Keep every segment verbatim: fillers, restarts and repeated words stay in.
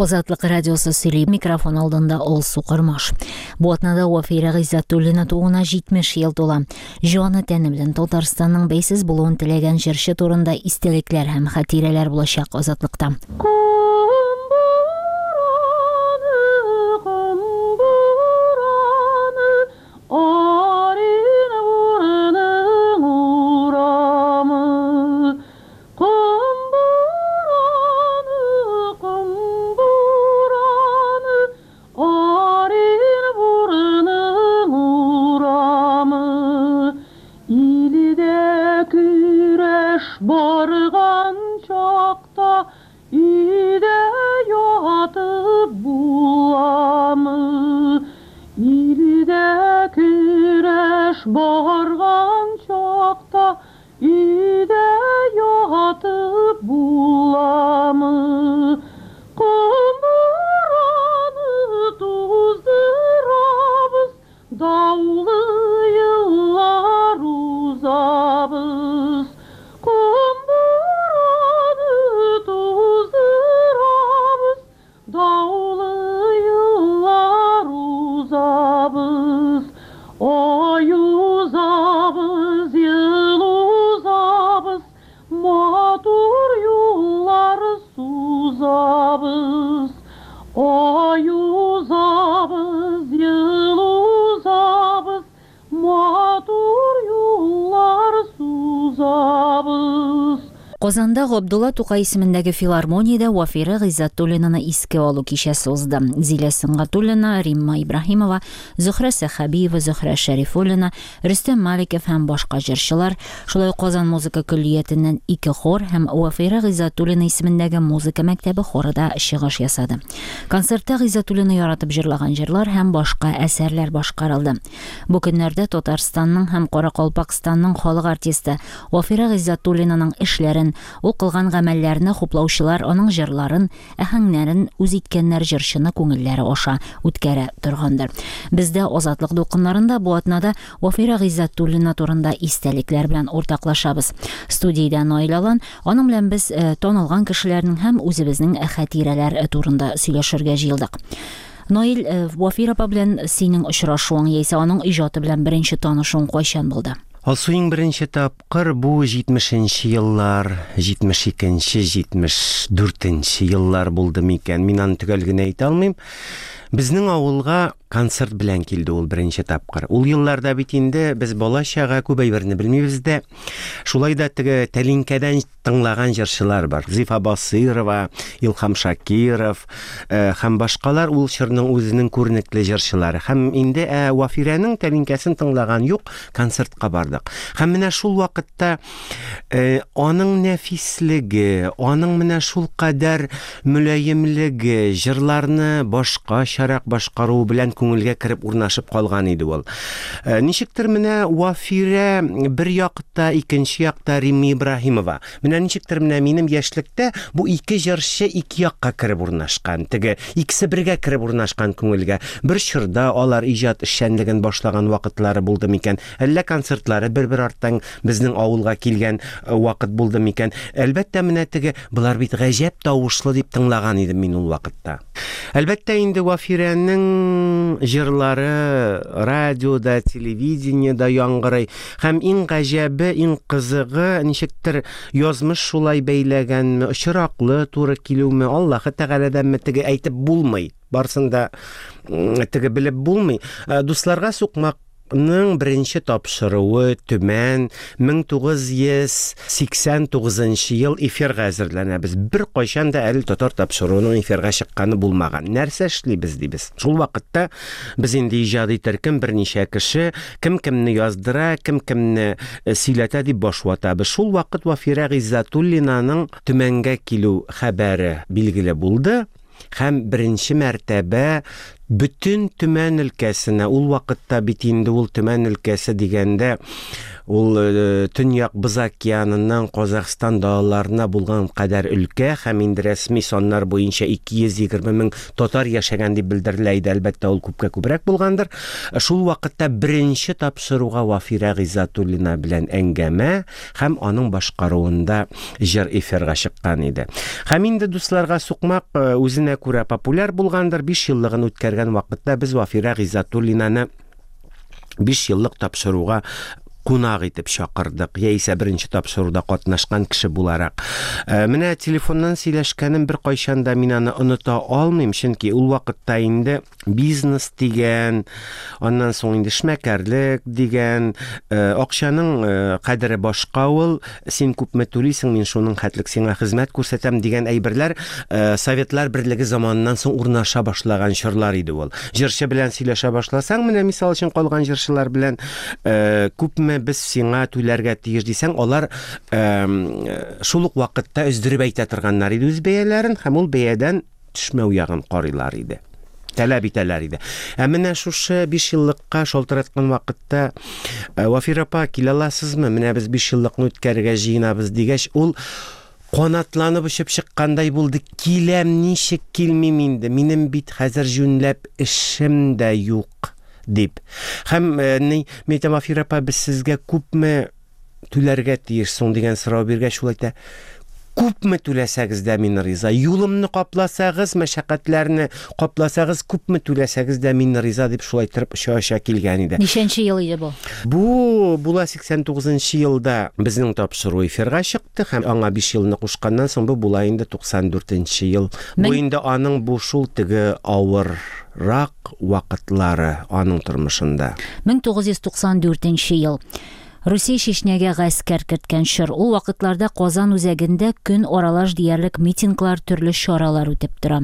Азатлык радиосы сөйли, микрофон алдында Алсу Кормаш. Бу атнада Вафирә Гыйззәтуллина тууына җитмеш ел тула. Җаны тәне белән Татарстанның бәйсез булуын теләгән җырчы турында истәлекләр һәм хатирәләр булачак Азатлыкта. Барган чакта өйдә ятып буламы? Илдә көрәш барган чакта өйдә ятып буламы? Ком бураны туздырабыз, даулы еллар узабыз. Ком бураны туздырабыз, даулы еллар узабыз. Ай узабыз, ел узабыз, матур юллар сузабыз. Ай узабыз, ел узабыз, матур юллар сузабыз. Казанда Габдулла Тукай исемендәге филармониядә Вафирә Гыйззәтуллинаны искә алу кичәсе узды. Зилә Сөнгатуллина, Римма Ибраһимова, Зөһрә Сәхәбиева, Зөһрә Шәрифуллина, Рөстәм Маликов һәм башка җырчылар, шулай ук Казан музыка көллиятеннән ике хор һәм Вафирә Гыйззәтуллина исемендәге музыка мәктәбе хоры да чыгыш ясады. Концертта Гыйззәтуллина яратып җырлаган җырлар һәм башка әсәрләр башкарылды. Бу көннәрдә Татарстанның һәм Каракалпакстанның халык артисты Вафирә Гыйззәтуллинаның эшләрен, ул кылган гамәлләрне хуплаучылар аның җырларын, әһәңнәрен үз иткәннәр җырчыны күңелләре аша үткәрә торгандыр. Бездә Азатлык дулкыннарында бу атнада Вафирә Гыйззәтуллина турында истәлекләр белән уртаклашабыз. Студиядә Наил Алан, аның белән без, э, танылган кешеләрнең һәм үзебезнең хатирәләр турында сөйләшергә җыелдык. Наил, э, Вафирә апа белән синең очрашуың яисә аның иҗаты белән беренче танышуың кайчан булды? Алсу, иң беренче тапкыр бу җитмешенче еллар, җитмеш икенче, җитмеш дүртенче еллар булды микән? Мин аны төгәл генә әйтә алмыйм. Безнең авылга концерт белән килде ул беренче тапкыр. Ул елларда бит инде без бала-чага күп әйберне белмибез дә. Шулай да теге тәлинкәдән тыңлаган җырчылар бар. Зифа Басыйрова, Илһам Шакиров, э, һәм башкалар ул чорның үзенең күренекле җырчылары. Һәм инде, ә, Вафирәнең тәлинкәсен тыңлаган юк, концертка бардык. Һәм менә шул вакытта, э, аның нәфислеге, аның менә шул кадәр мөлаемлеге, җырларны башкачарак башкаруы белән күңелгә кереп урнашып калган иде ул. Э, ничектер менә Вафирә бер якта, икенче якта Римма Ибраһимова. Менә ничектер менә минем яшьлектә бу ике җырчы ике якка кереп урнашкан. Теге икесе бергә кереп урнашкан күңелгә. Бер чорда алар иҗат эшчәнлеген башлаган вакытлары булды микән? Әллә концертлары бер-бер арттан безнең авылга килгән, э, вакыт булды микән? Әлбәттә, менә теге болар бит гаҗәп тавышлы дип тыңлаган идем мин ул вакытта. Әлбәттә, инде Вафирәнең җырлары радиода, телевидениедә яңгырый. Һәм иң гаҗәбе, иң кызыгы, ничектер язмыш шулай бәйләгәнме, очраклы туры килүме, Аллаһы Тәгаләдәнме, теге әйтеп булмый. Барсын да, м, теге белеп булмый. Э, Дусларга сукмакның беренче тапшыруы Төмән мең тугыз йөз сиксән тугызынчы ел эфирга әзерләнәбез. Бер кайчан да әле татар тапшыруының эфирга чыкканы булмаган. Нәрсә эшлибез дибез. Шул вакытта без инде иҗади төркем берничә кеше, кем кемне яздыра, кем кемне, э, сөйләтә дип баш ватабыз. Шул вакыт Вафирә Гыйззәтуллинаның Төмәнгә килү хәбәре билгеле булды. Һәм беренче мәртәбә бөтен Төмән өлкәсенә, ул вакытта бит инде ул Төмән өлкәсе дигәндә Ул Төньяк Боз океаныннан Казахстан далаларына булган кадәр өлкә һәм инде рәсми саннар буенча ике йөз егерме мең татар яшәгән дип белдерелә иде. Әлбәттә, ул күпкә күбрәк булгандыр. Шул вакытта беренче тапшыруга Вафирә Гыйззәтуллина белән әңгәмә һәм аның башкаруында җыр эфирга чыккан иде. Һәм инде дусларга сукмак үзенә күрә популяр булгандыр. Биш еллыгын үткәргән вакытта без Вафирә Гыйззәтуллинаны биш еллык тапшыруга кунак итеп чакырдык, яисә беренче тапшыруда катнашкан кеше буларак. Менә телефоннан сөйләшкәнем бер кайчан да мин аны оныта алмыйм, чөнки ул вакытта инде бизнес дигән, аннан соң инде эшмәкәрлек дигән, акчаның кадере башка ул, син күпме түлисең, мин шуның хәтлек сиңа хезмәт күрсәтәм дигән әйберләр Советлар Берлеге заманыннан соң урнаша башлаган чорлар иде ул. Җырчы белән сөйләшә башласаң, менә мисал өчен калган җырчылар белән күпме без сиңа түләргә тиеш дисәң, алар шул ук вакытта өздереп әйтә торганнар иде үз бәяләрен һәм ул бәядән төшмәү ягын карыйлар иде, таләп итәләр иде. Ә менә шушы биш еллыкка шалтыраткан вакытта Вафира апа, килә аласызмы? Менә без биш еллыкны үткәрергә җыенабыз дигәч, ул канатланып очып чыккандай булды. Киләм, ничек килмим инде? Минем бит хәзер җүнләп эшем дә юк дип. Һәм ни, мин әйтәм, Вафира апа, без сезгә күпме түләргә тиеш соң дигән сорау биргәч, ул әйтә, күпме түләсәгез дә мин риза. Юлымны капласагыз, мәшәкатьләрне капласагыз, күпме түләсәгез дә мин риза дип шулай торып оча-оча килгән иде. Ничәнче ел иде бу? Бу була сиксән тугызынчы елда безнең тапшыру эфирга чыкты һәм аңа биш елны кушканнан соң бу була инде туксан дүртенче ел. Бу инде аның бу шул теге авыррак вакытлары аның тормышында. Мең тугыз йөз туксан дүртенче ел. Русия Чечнягә гаскәр керткән чор. Ул вакытларда Казан үзәгендә көн аралаш диярлек митинглар, төрле чаралар үтеп тора.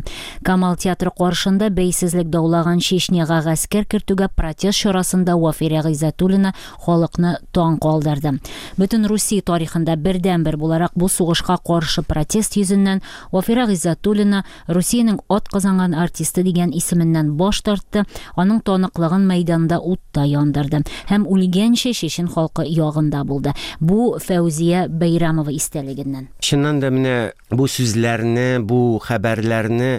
Камал театры каршында бәйсезлек даулаган Чечняга гаскәр кертүгә протест чарасында Вафирә Гыйззәтуллина халыкны таң калдырды. Бөтен Русия тарихында бердәнбер буларак бу сугышка каршы протест йөзеннән Вафирә Гыйззәтуллина Русиянең ат казанган артисты дигән исеменнән баш тартты, аның таныклыгын мәйданда утта яндырды һәм үлгәнче чечен халкы ягында булды. Бу Фәүзия Бәйрәмова истәлегеннән. Чыннан да менә бу сүзләрне, бу хәбәрләрне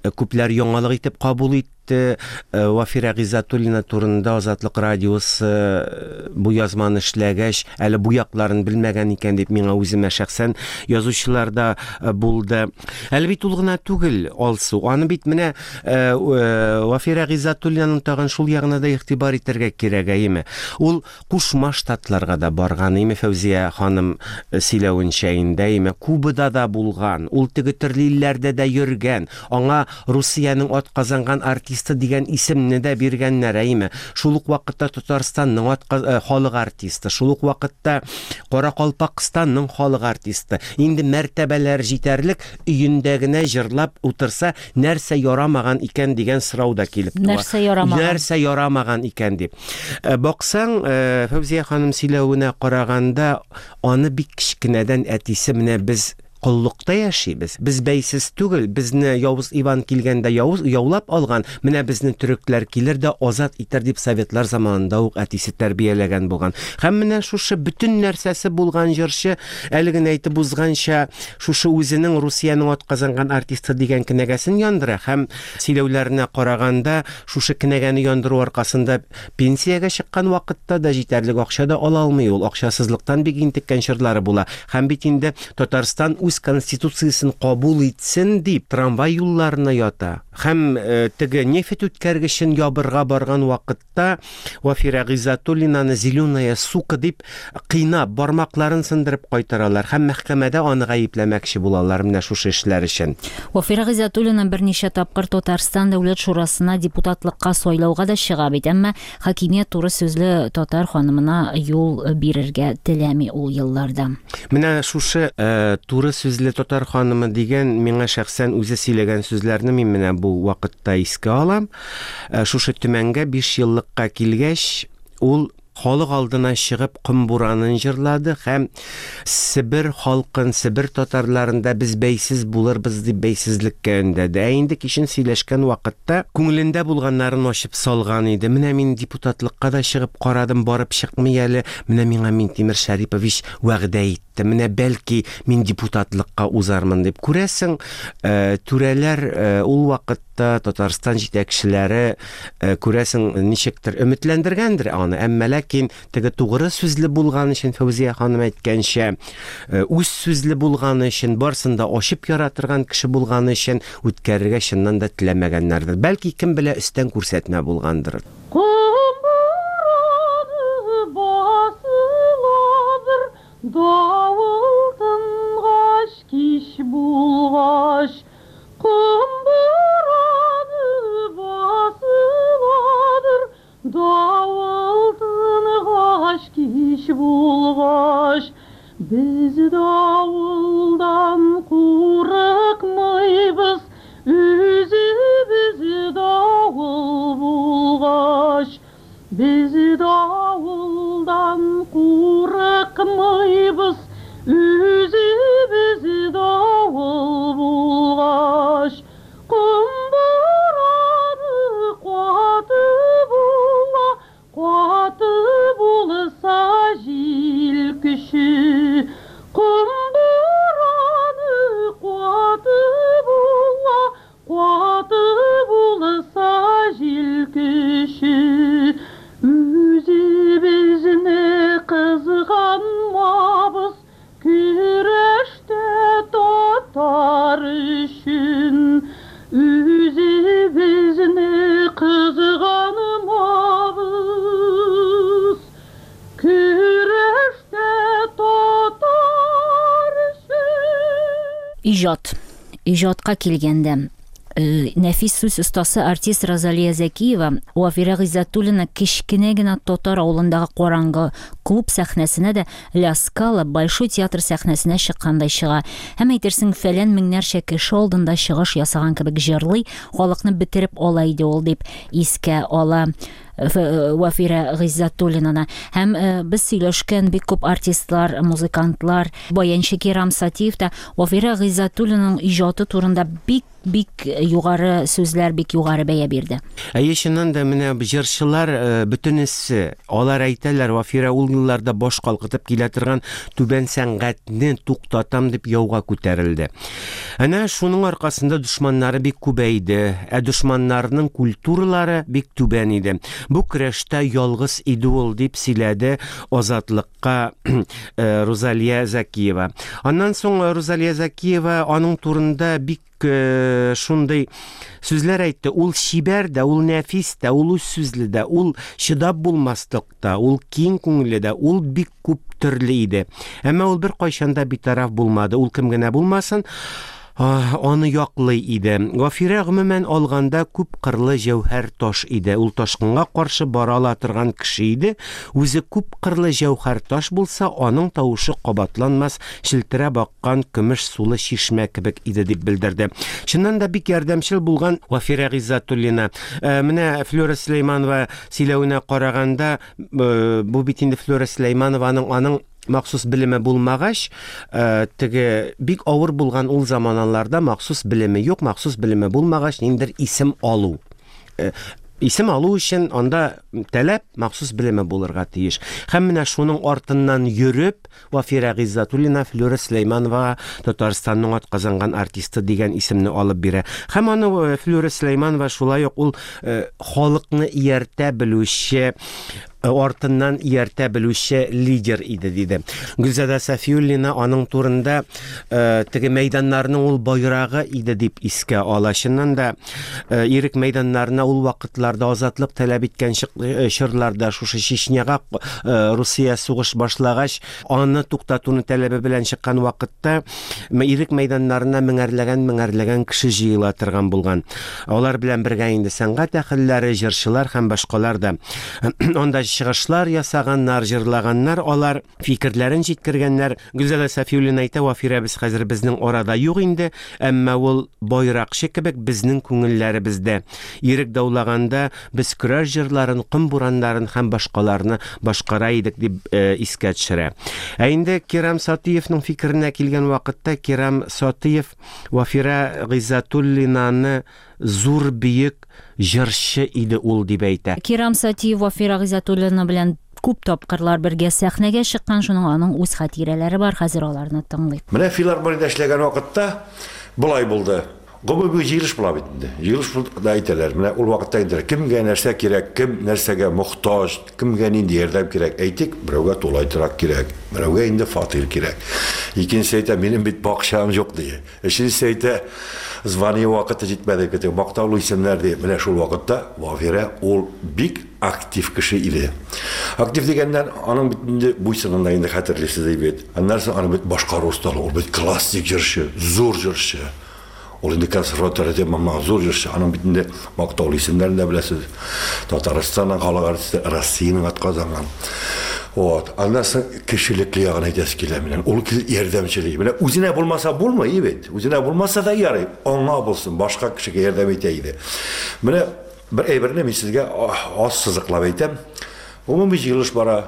күпләр яңалык итеп кабул итте. Вафирә Гыйззәтуллина турында Азатлык радиосы бу язманы эшләгәч, әле бу якларын белмәгән икән дип миңа үземә шәхсән язучылар да булды. Әле бит ул гына түгел, Алсу. Аны бит менә Вафирә Гыйззәтуллинаның тагын шул ягына да игътибар итәргә кирәк, әйеме? Ул Кушма Штатларга да барган, әйеме, Фәүзия ханым сөйләвенчә инде, әйеме, Кубада да булган, ул теге төрле илләрдә дә йөргән, аңа Русиянең ат казанган артисты дигән исемне дә биргәннәр, әйеме? Шул ук вакытта Татарстанның ат халык артисты, шул ук вакытта Каракалпакстанның халык артисты. Инде мәртәбәләр җитәрлек, өендә генә җырлап утырса, нәрсә ярамаган икән дигән сорау да килеп туа. Нәрсә ярамаган? Нәрсә ярамаган икән дип. Баксаң, Фәүзия ханым сөйләвенә караганда, аны бик кечкенәдән әтисе менә без коллыкта яшибез. Без бәйсез түгел, безне Явыз Иван килгәндә явыз, яулап алган, менә безне төрекләр килер дә азат итәр дип советлар заманында ук әтисе тәрбияләгән булган. Һәм менә шушы бөтен нәрсәсе булган җырчы, әле генә әйтеп узганча, шушы үзенең Русиянең ат казанган артисты дигән кенәгәсен яндыра һәм сөйләүләренә караганда, шушы кенәгәне яндыру аркасында пенсиягә чыккан вакытта да җитәрлек акча да ала алмый ул. Акчасызлыктан бик интеккән чорлары була. Һәм бит инде Татарстан үз конституциясын кабул итсен дип трамвай юлларына ята. Һәм теге нефть үткәргечен ябырга барган вакытта Вафирә Гыйззәтуллинаны зеленая сука дип кыйнап, бармакларын сындырып кайтаралар һәм мәхкәмәдә аны гаепләмәкче булалар менә шушы эшләр өчен. Вафирә Гыйззәтуллина берничә тапкыр Татарстан Дәүләт Шурасына депутатлыкка сайлауга да чыга бит, әмма хакимият туры сүзле татар ханымына юл бирергә теләми ул елларда. Менә шушы туры сүзле татар ханымы дигән миңа шәхсән үзе сөйләгән сүзләрне мин менә бу вакытта искә алам. Шушы Төмәнгә биш еллыкка килгәч, ул Халык алдына чыгып Ком буранын җырлады һәм Себер халкын, Себер татарларында без бәйсез булырбыз дип бәйсезлеккә өндәде. Ә инде кичен сөйләшкән вакытта күңелендә булганнарын ачып салган иде. Менә мин депутатлыкка да чыгып карадым, барып чыкмый әле. Менә миңа Минтимер Шәрипович вәгъдә итте. Менә бәлки мин депутатлыкка узармын дип. Күрәсең, э, түрәләр э, ул вакытта Татарстан җитәкчеләре э, күрәсең ничектер өметләндергәндер аны. Әмма ләкин теге тугры сүзле булган өчен, Фәүзия ханым әйткәнчә, э, үз сүзле булганы өчен, барсын да ачып яра торган кеше булганы өчен үткәрергә чыннан да теләмәгәннәрдер. Бәлки кем белә, өстән күрсәтмә булгандыр. Ком бураны басыладыр, давыл тынгач, кич булгач. Ком бураны басыладыр, давыл тынгач, кич булгач. Без давылдан курыкмыйбыз, үзебез давыл булгач. Без давылдан курыкмыйбыз, үзебез давыл булгач. Ком бураны каты була, каты булса җил көче. Ком бураны каты була, каты булса җил көче. Үзебезне кызганмабыз, көрәштә татар өчен. Үзебезне кызганмабыз, көрәштә татар өчен. Иҗат. Иҗатка килгәндә, э, нәфис сүз остасы артист Розалия Зәкиева Вафирә Гыйззәтуллина кечкенә генә татар авылындагы караңгы клуб сәхнәсенә дә Ла Скала Большой театр сәхнәсенә чыккандай чыга. Һәм әйтерсең фәлән меңнәрчә кеше алдында чыгыш ясаган кебек җырлый, халыкны бетереп ала иде ул дип искә ала э, Вафирә Гыйззәтуллинаны. Һәм э, без сөйләшкән бик күп артистлар, музыкантлар, баянчы Кирам Сатиев та Вафирә Гыйззәтуллинаның иҗаты турында бик бик югары сүзләр, бик югары бәя бирде. Әйе, чыннан да менә җырчылар э, бөтенесе алар әйтәләр, Вафирә ул елларда баш калкытып килә торган түбән сәнгатьне туктатам дип яуга күтәрелде. Әнә шуның аркасында дошманнары бик күбәйде, ә дошманнарның культуралары бик түбән иде. Бу көрәштә ялгыз иде ул дип сөйләде Азатлыкка э, Рузалия Зәкиева. Аннан соң Рузалия Зәкиева аның турында бик э, шундый сүзләр әйтте. Ул чибәр дә, ул нәфис тә, ул үз сүзле дә, ул чыдап булмаслык та, ул киң күңелле дә, ул бик күп төрле иде. Әмма ул бер кайчан да битараф булмады. Ул кем генә булмасын, а, аны яклый иде. Вафирә гомумән алганда күп кырлы җәүһәр таш иде. Ул ташкынга каршы бара ала торган кеше иде. Үзе күп кырлы җәүһәр таш булса, аның тавышы кабатланмас челтерәп аккан көмеш сулы чишмә кебек иде дип белдерде. Чыннан да бик ярдәмчел булган Вафирә Гыйззәтуллина. Ә, менә Флюра Сөләйманова сөйләвенә караганда, э, бу бит инде Флюра Сөләйманованың аның махсус белеме булмагач, э, теге бик авыр булган ул заманаларда махсус белеме юк, махсус белеме булмагач, ниндидер исем алу. Э, исем алу өчен анда таләп махсус белеме булырга тиеш. Һәм менә шуның артыннан йөреп, Вафирә Гыйззәтуллина Флюра Сөләйманова Татарстанның атказанган артисты дигән исемне алып бирә. Һәм аны э, Флюра Сөләйманова шулай ук ул э, халыкны ияртә белүче, э, артыннан ияртә белүче лидер иде диде. Гөлзада Сафиуллина аның турында э, теге мәйданнарның ул байрагы иде дип искә ала. Чыннан да э, ирек мәйданнарына ул вакытларда азатлык таләп иткән чык- э, чорларда шушы Чечняга э, Русия сугыш башлагач, аны туктатуны таләбе белән чыккан вакытта м- ирек мәйданнарына меңәрләгән меңәрләгән кеше җыела торган булган. Алар белән бергә инде сәнгать әһелләре, җырчылар һәм башкалар да анда чыгышлар ясаганнар, җырлаганнар, алар фикерләрен җиткергәннәр. Гөлзада Сафиуллина әйтә, Вафирәбез хәзер безнең арада юк инде, әмма ул байракчы кебек безнең күңелләребездә. Ирек даулаганда без көрәш җырларын, ком бураннарын һәм башкаларны башкара идек дип э, искә төшерә. Ә инде Кирам Сатиевның фикеренә килгән вакытта Кирам Сатиев Вафирә Гыйззәтуллинаны зур бөек җырчы иде ул дип әйтә. Кирам Сатиев Вафирә Гыйззәтуллина белән күп тапкырлар бергә сәхнәгә чыккан, шуның аның үз хатирәләре бар, хәзер аларны тыңлыйк. Менә филармониядә эшләгән вакытта болай булды. Гомуми җыелыш була бит инде. Җыелыш да әйтәләр. Менә ул вакытта инде кемгә нәрсә кирәк, кем нәрсәгә мохтаҗ, кемгә нинди ярдәм кирәк. Әйтик, берәүгә тулай торак кирәк, берәүгә инде фатир кирәк. Икенчесе әйтә, минем бит бакчам юк ди. Өченчесе әйтә, звание вакыты җитмәде дип, мактаулы исемнәр ди. Менә шул вакытта Вафирә ул бик актив кеше иде. Актив дигәннән аның бит инде буйсынында инде хәтерлисез бит. Аннан соң аның бит башкару осталыгы, ул бит классик җырчы, зур җырчы. Ул инде консерватория тәмамлаган зур җырчы. Аның бит инде мактаулы исемнәрен дә беләсез. Татарстанның халык артисты, Россиянең атказанган. Вот. Аннан соң кешелекле ягын әйтәсе килә минем. Ул ярдәмчел. Менә үзенә булмаса булмый бит. Үзенә булмаса да ярый, аңа булсын, башка кешегә ярдәм итә иде. Менә бер әйберне мин сезгә аз сызыклап әйтәм. Гомуми җыелыш бара.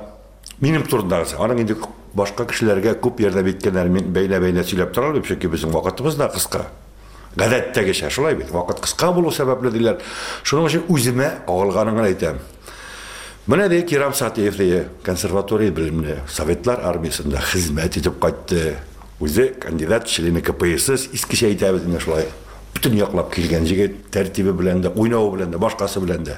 Минем турындагысы. Аның инде башка кешеләргә күп ярдәм иткәннәр мин бәйлә-бәйлә сөйләп тора алмыйм, чөнки безнең вакытыбыз да кыска. Гадәттәгечә шулай бит. Вакыт кыска булу сәбәпле диләр. Шуның өчен үземә кагылганын гына әйтәм. Менә ди Кирам Сатиев ди, консерватория белемле, Советлар армиясендә хезмәт итеп кайтты. Үзе кандидат члены К П С С, искечә әйтәбез инде шулай. Бөтен яклап килгән җегет, тәртибе белән дә, уйнавы белән дә, башкасы белән дә.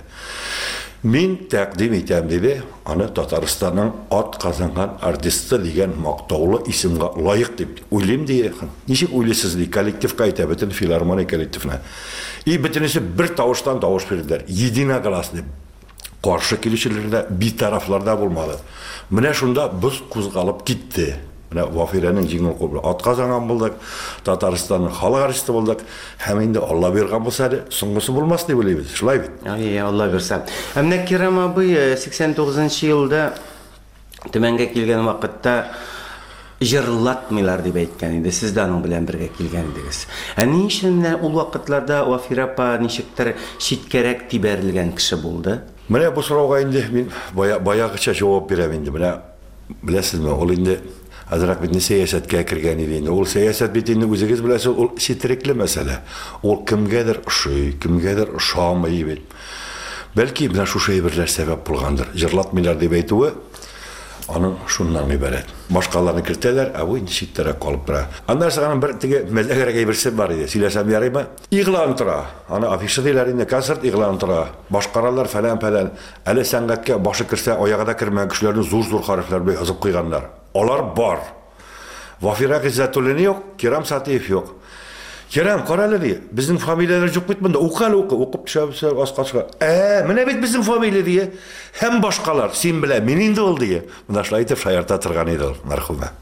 Мин тәкъдим итәм диде, аны Татарстанның ат казанган артисты дигән мактаулы исемгә лаек дип уйлыйм ди. Ничек уйлыйсыз ди, коллективка әйтә, бөтен филармония коллективына. И бөтенесе бер тавыштан тавыш бирделәр. Единогласно. Каршы килүчеләр дә, битарафлар да булмады. Менә шунда боз кузгалып китте. Менә Вафирәнең җиңел кулы белән ат казанган булдык, Татарстанның халык артисты булдык. Һәм инде Алла биргән булса әле соңгысы булмас дип уйлыйбыз. Шулай бит? Әй, Алла бирсә. Ә менә Кирам абый сиксән тугызынчы елда Төмәнгә килгән вакытта җырлатмыйлар дип әйткән иде. Сез дә аның белән бергә килгән идегез. Ә ни өчен менә ул вакытларда Вафирә апа ничектер читкәрәк тибәрелгән кеше булды? Менә бу сорауга инде мин бая, баягыча җавап бирәм инде. Менә беләсезме, ул инде азрак бит сәясәткә кергән иде инде. Ул сәясәт бит инде үзегез беләсез, ул четерекле мәсьәлә. Ул кемгәдер ошый, кемгәдер ошамый бит. Бәлки менә шушы әйберләр сәбәп булгандыр. Җырлатмыйлар дип әйтүе аның шуннан гыйбарәт. Башкаларны кертәләр, ә бу инде читтәрәк калып тора. Аннан соң аның бер теге мәзәгрәк әйберсе бар иде. Сөйләсәм ярыймы? Игълан тора. Аны афиша диләр инде, концерт игълан тора. Башкаралар фәлән-фәлән. Әле сәнгатькә башы керсә, аягы да кермәгән кешеләрне зур-зур хәрефләр белән язып куйганнар. Алар бар. Вафирә Гыйззәтуллина юк, Кирам Сатиев юк. Кирам, кара әле ди, безнең фамилияләр юк бит монда. Укы әле, укы, укып төшәбез, аска чыга. Ә, менә бит безнең фамилия ди. Һәм башкалар, син белә, мин инде ул ди. Менә шулай итеп шаярта торган иде ул, мәрхүмә.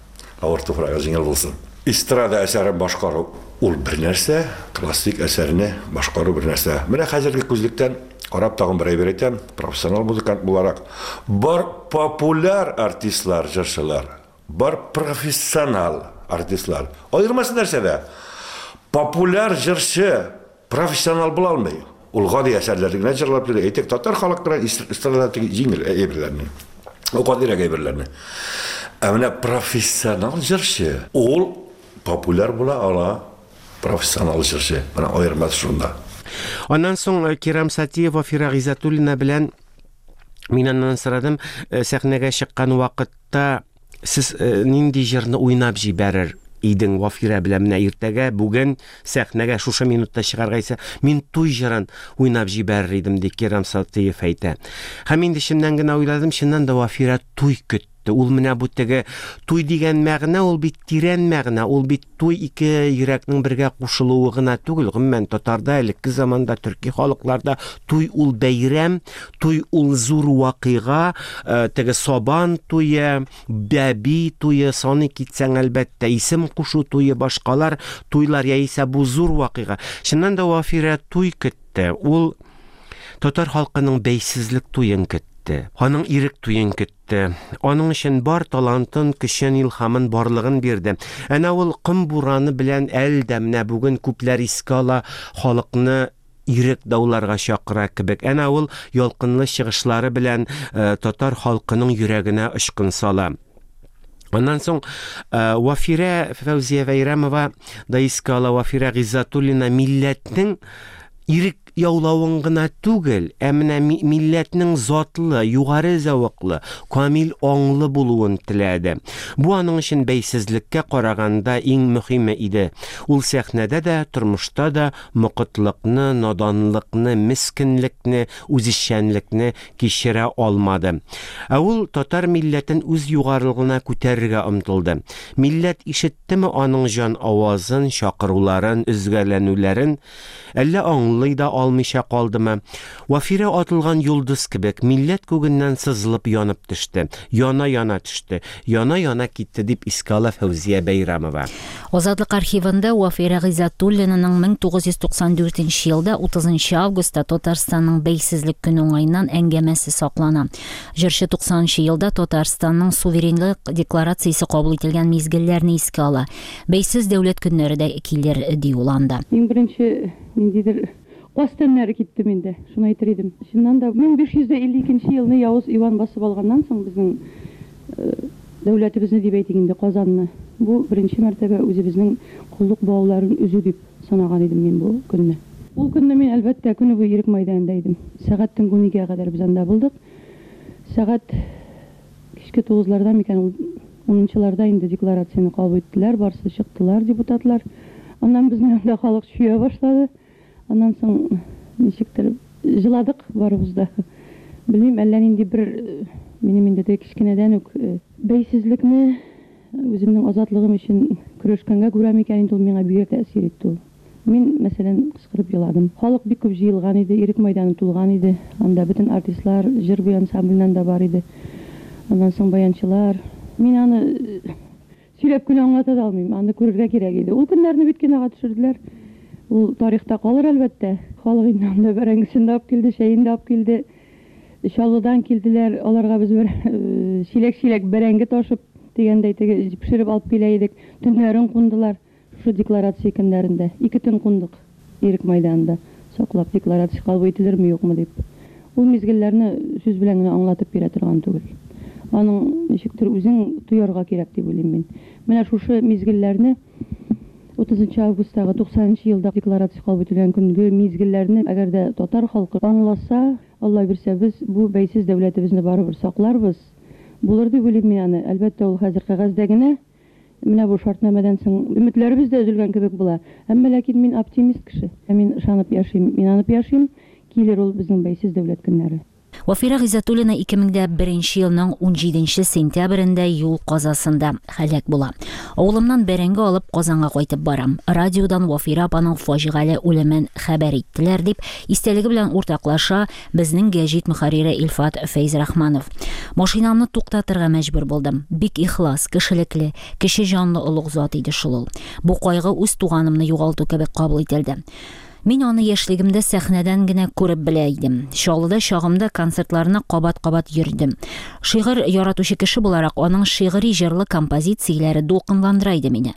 Авыр туфрагы җиңел булсын. Эстрада әсәрен башкару ул бер нәрсә, классик әсәрне башкару бер нәрсә. Менә хәзерге күзлектән карап тагын бер әйбер әйтәм, профессионал музыкант буларак, бар популяр артистлар, җырчылар, бар профессионал артистлар. Аермасы нәрсәдә? Популяр җырчы профессионал була алмый. Ул гади әсәрләрне генә җырлап йөри. Әйтик, татар халык эстрада җиңел әйберләрне, ул гадирәк әйберләрне. Ә менә профессионал җырчы ул популяр була ала, профессионал җырчы. Менә аермасы шунда. Аннан соң Кирам Сатиев Вафирә Гыйззәтуллина белән мин аннан сорадым, сәхнәгә чыккан вакытта сез нинди җырны уйнап җибәрер идең Вафирә белән? Менә иртәгә, бүген сәхнәгә шушы минутта чыгарга исә, мин туй җырын уйнап җибәрер идем, ди Кирам Сатиев әйтә. Һәм инде чыннан гына уйладым, чыннан да Вафирә туй көтте. Ул менә бу теге туй дигән мәгънә, ул бит тирән мәгънә, ул бит туй ике йөрәкнең бергә кушылуы гына түгел. Гомумән, татарда элекке заманда, төрки халыкларда туй ул бәйрәм, туй ул зур вакыйга, теге сабан туе, бәби туе, саны китсәң әлбәттә, исем кушу туе, башкалар туйлар яисә бу зур вакыйга. Чыннан да Вафирә туй көтте. Ул татар халкының бәйсезлек туен көтте. итте. Аның ирек туен көтте. Аның өчен бар талантын, көчен, илһамын, барлыгын бирде. Әнә ул ком бураны белән әле дә менә бүген күпләр искә ала, халыкны ирек дауларга чакыра кебек. Әнә ул ялкынлы чыгышлары белән э, татар халкының йөрәгенә очкын сала. Аннан соң э, Вафирә Фәүзия Бәйрәмова да искә ала. Вафирә Гыйззәтуллина милләтнең ирек яулавын гына түгел, ә менә ми-, милләтнең затлы, югары зәвыклы, камил аңлы булуын теләде. Бу аның өчен бәйсезлеккә караганда иң мөһиме иде. Ул сәхнәдә дә, тормышта да мокытлыкны, наданлыкны, мескенлекне, үзешчәнлекне кичерә алмады. Ә ул татар милләтен үз югарылыгына күтәрергә омтылды. Милләт ишеттеме аның җан авазын, чакыруларын, өзгәләнүләрен, әллә аңлый да алмыйча калдымы? Вафирә атылган йолдыз кебек милләт күгеннән сызылып янып төште, яна-яна төште, яна-яна китте, дип искә ала Фәүзия Бәйрәмова. Азатлык архивында Вафирә Гыйззәтуллинаның мең тугыз йөз туксан дүртенче елда утызынчы августта Татарстанның бәйсезлек көне уңаеннан әңгәмәсе саклана. Җырчы туксанынчы елда Татарстанның суверенлык декларациясе кабул ителгән мизгелләрне искә ала. Бәйсез дәүләт көннәре дә килер, ди ул анда. Иң беренче ниндидер каз тәннәре китте миндә, шуны әйтер идем. Чыннан да мең биш йөз дә илле икенче елны Явыз Иван басып алганнан соң безнең, э, дәүләтебезне дип әйтик инде, Казанны. Бу беренче мәртәбә үзебезнең коллык бауларын өзү дип санаган идем мин бу көнне. Ул көнне мин әлбәттә көне буе Ирек мәйданында идем. Сәгать төнге уникегә кадәр без анда булдык. Сәгать кичке тугызларда микән, ул унынчыларда инде декларацияне кабул иттеләр, барысы чыктылар депутатлар. Аннан безнең анда халык чөя башлады. Аннан соң ничектер җыладык барыбыз да. Белмим, әллә нинди бер, э, минем инде теге кечкенәдән үк, э, бәйсезлекне үземнең азатлыгым өчен көрәшкәнгә күрә микән инде ул миңа бигрәк тәэсир итте ул. Мин, мәсәлән, кычкырып еладым. Халык бик күп җыелган иде, Ирек мәйданы тулган иде. Анда бөтен артистлар, җыр буе ансамбльнән дә бар иде. Аннан соң баянчылар. Мин аны, э, сөйләп кенә аңлата да алмыйм. Аны күрергә кирәк иде. Ул көннәрне бит кинога төшерделәр. Ул тарихта калыр әлбәттә. Халык инде анда бәрәңгесен дә алып килде, чәен дә алып килде. Чаллыдан килделәр. Аларга без бер, э, чиләк-чиләк бәрәңге ташып дигәндәй теге пешереп алып килә идек. Төннәрен кундылар. Шушы декларация көннәрендә ике төн кундык Ирек мәйданында. Саклап декларация кабул ителерме, юкмы дип. Ул мизгелләрне сүз белән генә аңлатып бирә торган түгел. Аның ничектер үзең тоярга кирәк дип уйлыйм мин. Менә шушы мизгелләрне утызынчы августтагы туксанынчы елда декларация кабул ителгән көнге мизгелләрне әгәр дә татар халкы аңласа, Алла бирсә, без бу бәйсез дәүләтебезне барыбер сакларбыз. Булыр дип уйлыйм мин аны. Әлбәттә, ул хәзер кәгазьдә генә. Менә бу шартнамәдән соң өметләребез дә өзелгән кебек була. Әмма ләкин мин оптимист кеше. Мин ышанып яшим, инанып яшим. Килер ул безнең бәйсез дәүләт көннәре. Вафирә Гыйззәтуллина ике мең дә беренче елның унҗиденче сентябрендә юл казасында һәлак була. Авылымнан бәрәңге алып Казанга кайтып барам. Радиодан Вафирә апаның фаҗигале үлемен хәбәр иттеләр дип истәлеге белән уртаклаша безнең гәҗит мөхәррире Илфат Фәйзрахманов. Машинамны туктатырга мәҗбүр булдым. Бик ихлас, кешелекле, кеше җанлы олуг зат иде шул ул. Бу кайгы үз туганымны югалту кебек кабул ителде. Мин аны яшьлегемдә сәхнәдән генә күреп белә идем. Чаллыда чагымда концертларына кабат-кабат йөрдем. Шигырь яратучы кеше буларак аның шигъри җырлы композицияләре дулкынландыра иде мине.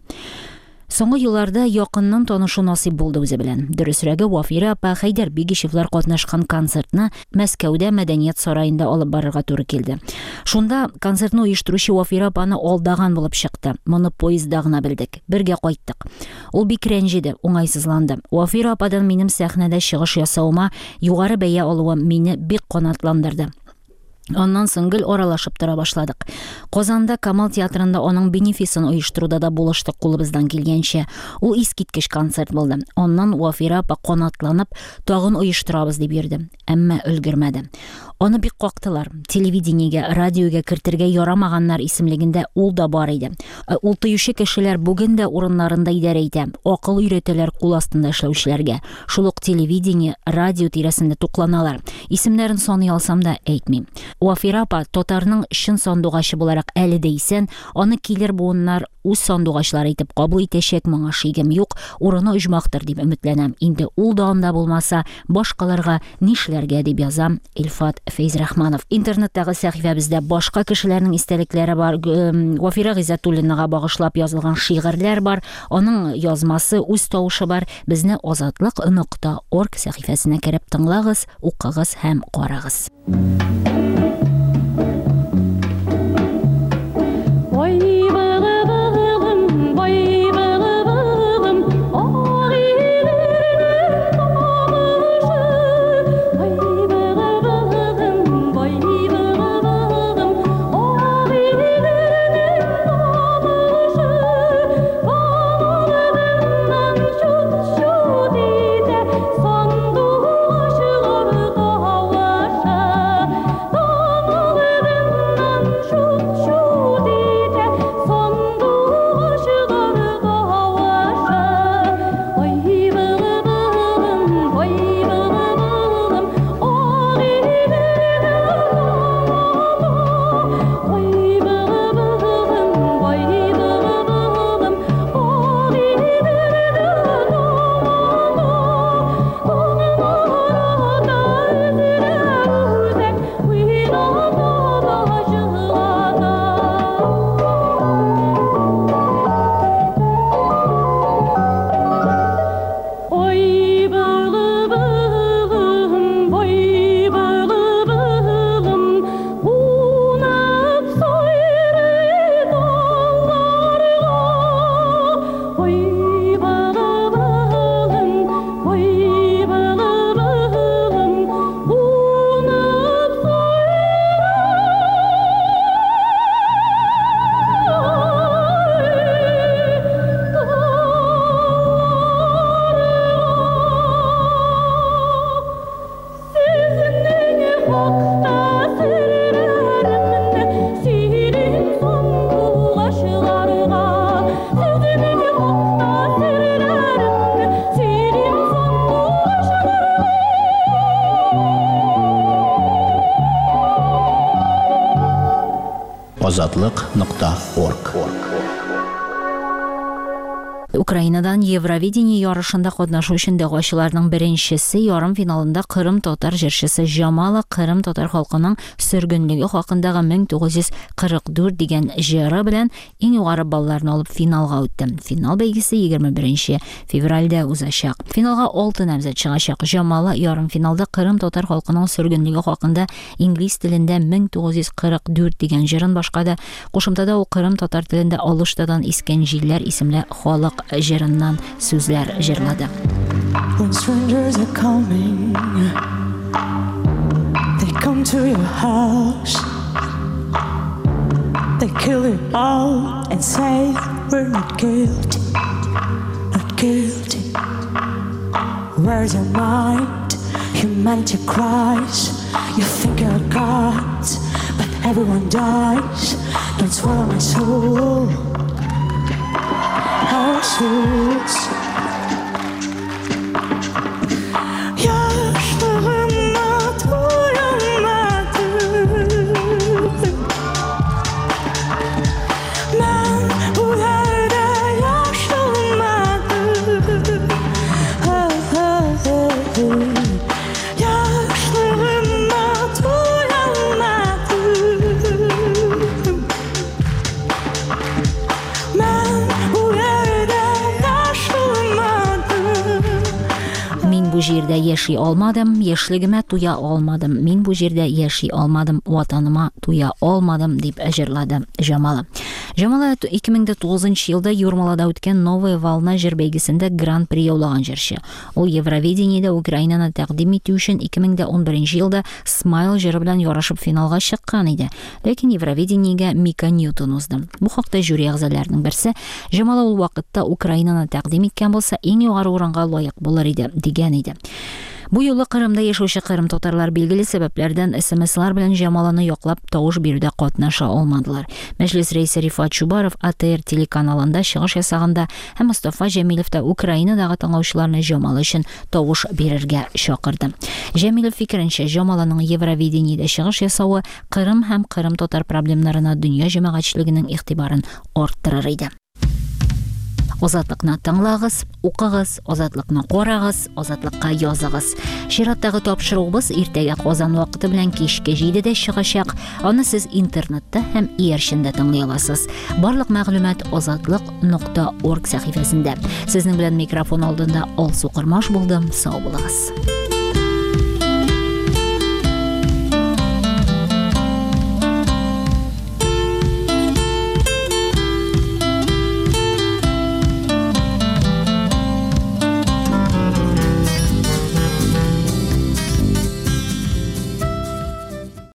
Соңгы елларда якыннан танышу насыйп булды үзе белән. Дөресрәге, Вафирә апа Хәйдәр Бигишевлар катнашкан концертны Мәскәүдә Мәдәният сараенда алып барырга туры килде. Шунда концертны оештыручы Вафирә апаны алдаган булып чыкты. Моны поездда гына белдек. Бергә кайттык. Ул бик рәнҗеде, уңайсызланды. Вафирә ападан минем сәхнәдә чыгыш ясавыма югары бәя алуым мине бик канатландырды. Аннан соң гел аралашып тора башладык. Казанда Камал театрында аның бенефисын оештыруда да булыштык кулыбыздан килгәнчә. Ул искиткеч концерт булды. Аннан Вафирә апа канатланып, тагын оештырабыз дип йөрде. Әмма өлгермәде. Аны бик кактылар. Телевидениегә, радиога кертергә ярамаганнар исемлегендә ул да бар иде. Э, ул тыючы кешеләр бүген дә урыннарында идарә итә. Акыл өйрәтәләр кул астында эшләүчеләргә. Шул ук телевидение, радио тирәсендә тукланалар. Исемнәрен саный алсам да әйтмим. Вафира апа татарның чын сандугачы буларак әле дә исән, аны килер буыннар үз сандугачлары итеп кабул итәчәк, моңа шигем юк, урыны оҗмахтыр дип өметләнәм. Инде ул да анда булмаса, башкаларга нишләргә дип язам Илфат Фәйзрахманов. Интернеттагы сәхифәбездә башка кешеләрнең истәлекләре бар. Вафира Гыйззәтуллинага багышлап язылган шигырьләр бар. Аның язмасы, үз тавышы бар. Безне азатлык нокта орг сәхифәсенә кереп тыңлагыз, укыгыз һәм карагыз. Азатлык нокта орг. Украинадан Евровидение ярышында катнашу өчен дәгъвачыларның беренчесе ярым финалында Кырым татар җырчысы Джамала Кырым татар халкының сөргенлеге хакындагы мең тугыз йөз кырык дүрт дигән җыры белән иң югары балларны алып финалга үтте. Финал бәйгесе егерме беренче февральдә узачак. Финалга алты намзәт чыгачак. Джамала ярым финалда Кырым татар халкының сөргенлеге хакында инглиз телендә мең тугыз йөз кырык дүрт дигән җырын башкарды. Кушымтада ул Кырым татар телендә Алыштадан искән җилләр исемле халык җырыннан сүзләр җырлады. When strangers are coming, they come to your house, they kill you all and say we're not guilty, not guilty. Where's your mind? Humanity cries. You think you're gods, but everyone dies. Don't swallow my soul. Our souls. Yaşlığıma doyamadım. Ben bu yerde yaşlanmadım. Yaşlığıma doyamadım. Ben bu yerde Мин бу җирдә яши алмадым, яшьлегемә туя алмадым. Мин бу җирдә яши алмадым, ватаныма туя алмадым, дип җырлады Джамала. Джамала ике мең дә тугызынчы елда Юрмалада үткән Новая волна җыр бәйгесендә гран-при яулаган җырчы. Ул Евровидениедә Украинаны тәкъдим итү өчен ике мең дә унберенче елда Смайл җыры белән ярышып финалга чыккан иде. Ләкин Евровидениегә Мика Ньютон узды. Бу хакта жюри әгъзаларының берсе Джамала ул вакытта Украинаны тәкъдим иткән булса, иң югары урынга лаек булыр иде, дигән иде. Бу юлы Кырымда яшәүче кырым татарлар билгеле сәбәпләрдән СМСлар белән Җамаланы яклап тавыш бирүдә катнаша алмадылар. Мәҗлес рәисе Рифат Чубаров А Т Р телеканалында чыгыш ясаганда һәм Мостафа Җәмилев та Украинадагы тыңлаучыларны Җамала өчен тавыш бирергә чакырды. Җәмилев фикеренчә, Җамаланың Евровидениедә чыгыш ясавы Кырым һәм кырым татар проблемнарына дөнья җәмәгатьчелегенең игътибарын арттырыр иде. Азатлыкны тыңлагыз, укыгыз, Азатлыкны карагыз, Азатлыкка языгыз. Чираттагы тапшыруыбыз иртәгә Казан вакыты белән кичке җидедә чыгачак. Аны сез интернетта һәм иярчендә тыңлый аласыз. Барлык мәгълүмат азатлык нокта орг сәхифәсендә. Сезнең белән микрофон алдында Алсу Кормаш булдым. Сау булыгыз.